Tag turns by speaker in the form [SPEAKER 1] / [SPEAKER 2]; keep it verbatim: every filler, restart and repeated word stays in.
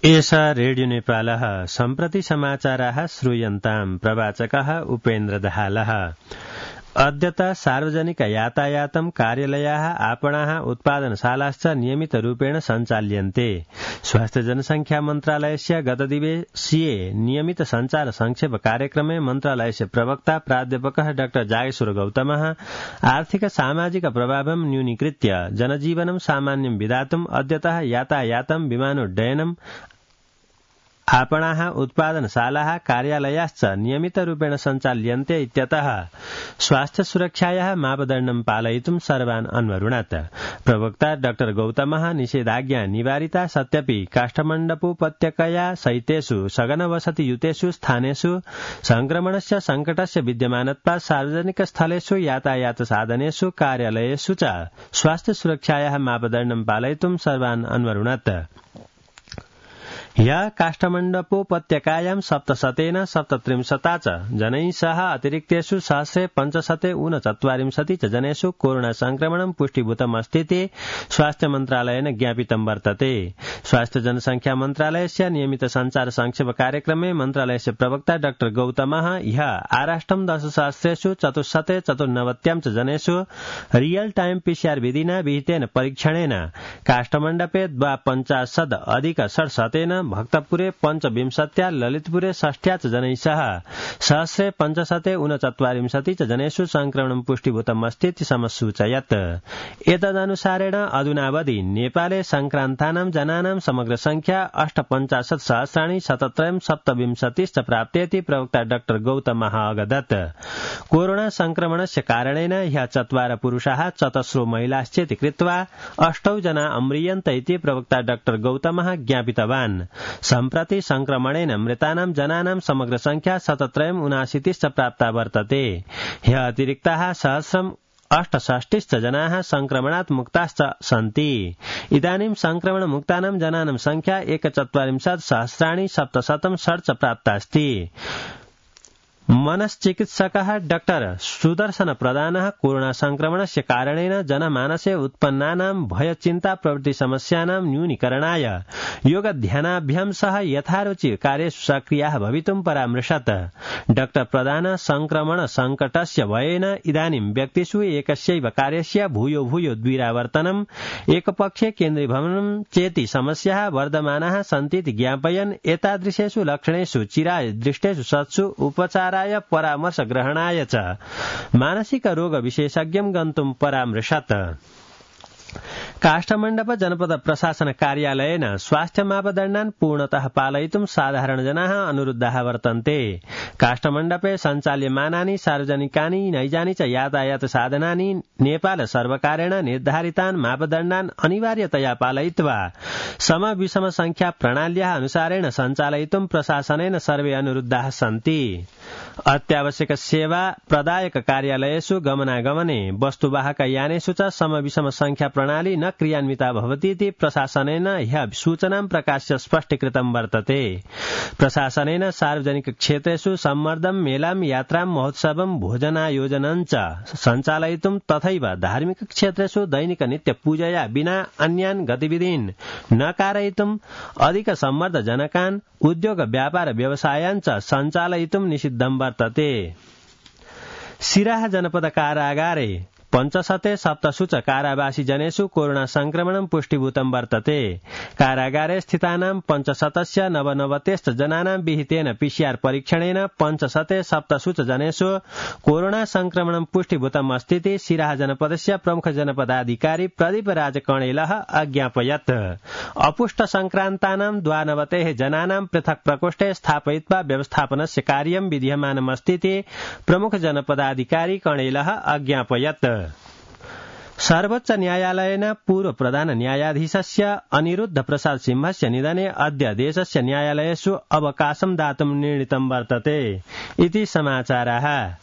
[SPEAKER 1] एषा रेडियो नेपालः सम्प्रति समाचाराः श्रूयन्ताम्। प्रवाचकः उपेन्द्र दहालः। अद्यत सार्वजनिक यातायातं कार्यालयाः आपणाः उत्पादनशालाश्च नियमितरूपेण सञ्चाल्यन्ते। स्वास्थ्य जनसंख्या मन्त्रालयस्य गतदिवसीये नियमित सञ्चार संक्षेप कार्यक्रमे मन्त्रालयस्य प्रवक्ता प्राध्यापकः डाक्टर जागेश्वर गौतमः आर्थिक सामाजिक प्रभावं न्यूनीकृत्य जनजीवनं सामान्यं विधातुम् अद्यतः यातायातं विमानोड्डयनम् आपणाः उत्पादनशालाः कार्यालयाश्च नियमितरूपेण सञ्चाल्यन्ते इत्यतः स्वास्थ्य सुरक्षायाः मापदण्डं पालयितुं सर्वान् अन्वरुणत्। प्रवक्ता डाक्टर गौतमः निषेधाज्ञा निवारिता सत्यपि काष्ठमण्डपोपत्यकया सहितेषु सघनवसतियुतेषु स्थानेषु संक्रमणस्य संकटस्य विद्यमानत्वात् सार्वजनिक स्थलेषु यातायात साधनेषु कार्यालयेषु च स्वास्थ्य सुरक्षायाः मापदण्डं पालयितुं सर्वान् अन्वरुणत्। ह्यः काष्ठमण्डपोपत्यकायां सप्तशतेन सप्तत्रिंशता च जनैः सह अतिरिक्तेषु सहस्रे पञ्चशते ऊनचत्वारिंशति च जनेषु कोरोना संक्रमणं पुष्टीभूतमस्तीति स्वास्थ्य मन्त्रालयेन ज्ञापितं वर्तते। स्वास्थ्य जनसंख्या मन्त्रालयस्य नियमित सञ्चार संक्षेप कार्यक्रमे मन्त्रालयस्य प्रवक्ता डाक्टर गौतमः ह्यः आराष्ट्रं दशसहस्रेषु चतुश्शते चतुर्नवत्यां च जनेषु रियल टाइम पीसीआर विधिना विहितेन परीक्षणेन काष्ठमण्डपे द्वापञ्चाशद अधिक षट्शतेन भक्तपुरे पञ्चविंशत्या ललितपुरे षष्ठ्या च जनैः सह सहस्रे पञ्चशते ऊनचत्वारिंशति च जनेषु संक्रमणं पुष्टीभूतमस्तीति समसूचयत्। एतदनुसारेण अधुनावधि नेपाले संक्रान्तानां जनानां समग्र संख्या अष्टपञ्चाशत् सहस्राणि शतत्रयं सप्तविंशतिश्च प्राप्तेति प्रवक्ता डाक्टर गौतमः अवदत्। कोरोना संक्रमणस्य कारणेन ह्यः चत्वार पुरुषाः चतस्रो महिलाश्चेति कृत्वा अष्टौ जना अम्रियन्त इति प्रवक्ता डाक्टर गौतमः ज्ञापितवान्। सम्प्रति संक्रमणेन मृतानां जनानां समग्र संख्या शतत्रयम् उनाशीतिश्च प्राप्ता वर्तते। ह्यः अतिरिक्ताः सहस्रम् अष्टषष्टिश्च जनाः संक्रमणात् मुक्ताश्च सन्ति। इदानीं संक्रमण मुक्तानां जनानां संख्या एकचत्वारिंशत् सहस्राणि सप्तशतं षट् च प्राप्तास्ति। मनश्चिकित्सकः डाक्टर सुदर्शन प्रधानः कोरोना संक्रमणस्य कारणेन जनमानसे उत्पन्नानां भयचिन्ता प्रवृत्ति समस्यानां न्यूनीकरणाय योगध्यानाभ्यां सह यथारुचि कार्येषु सक्रियाः भवितुं परामृशत्। डाक्टर प्रधान संक्रमण संकटस्य भयेन इदानीं व्यक्तिषु एकस्यैव कार्यस्य भूयो भूयो द्विरावर्तनम् एकपक्षे केन्द्रीभवनं चेति समस्याः वर्धमानाः सन्तीति ज्ञापयन् एतादृशेषु लक्षणेषु चिराय दृष्टेषु सत्सु उपचार परामर्श ग्रहणाय च मानसिक रोग विशेषज्ञं गन्तुं परामृशत्। काष्ठमण्डप जनपद प्रशासन कार्यालयेन स्वास्थ्य मापदण्डान् पूर्णतः पालयितुं साधारणजनाः अनुरुद्धाः वर्तन्ते। काष्ठमण्डपे सञ्चाल्यमानानि सार्वजनिकानि नैजानि च यातायात साधनानि नेपाल सर्वकारेण निर्धारितान् मापदण्डान् अनिवार्यतया पालयित्वा सम विषम संख्या प्रणाल्याः अनुसारेण सञ्चालयितुं प्रशासनेन सर्वे अनुरुद्धाः सन्ति। अत्यावश्यक सेवा प्रदायक कार्यालयेषु गमनागमने वस्तुवाहक यानेषु च सम विषम संख्या प्रणाली न क्रियान्विता भवतीति प्रशासनेन ह्यः सूचनां प्रकाश्य स्पष्टीकृतं वर्तते। प्रशासनेन सार्वजनिक क्षेत्रेषु सम्मर्दं मेलां यात्रां महोत्सवं भोजनायोजनं च सञ्चालयितुं तथैव धार्मिक क्षेत्रेषु दैनिक नित्य पूजया विना अन्यान् गतिविधीन् न कारयितुं अधिक सम्मर्दजनकान् उद्योग व्यापार व्यवसायान् च सञ्चालयितुं निषिद्धं वर्तते। सिराहा जनपद कारागारे पञ्चशते सप्तसु च कारावासी जनेषु कोरोना संक्रमणं पुष्टीभूतं वर्तते। कारागारे स्थितानां पञ्चशतस्य नवनवतिश्च जनानां विहितेन पीसीआर परीक्षणेन पञ्चशते सप्तसु च जनेषु कोरोना संक्रमणं पुष्टीभूतम् अस्तीति सिराहा जनपदस्य प्रमुख जनपदाधिकारी प्रदीप राज कणेलः अज्ञापयत्। अपुष्ट संक्रान्तानां द्वानवतेः जनानां पृथक् प्रकोष्ठे स्थापयित्वा व्यवस्थापनस्य कार्यं विधीयमानमस्तीति प्रमुख जनपदाधिकारी कणेलः अज्ञापयत्। सर्वोच्च न्यायालयेन पूर्व प्रधान न्यायाधीशस्य अनिरुद्ध प्रसाद सिंहस्य निधने अद्य देशस्य न्यायालयेषु अवकाशं दातुं निर्णीतं वर्तते इति समाचाराः।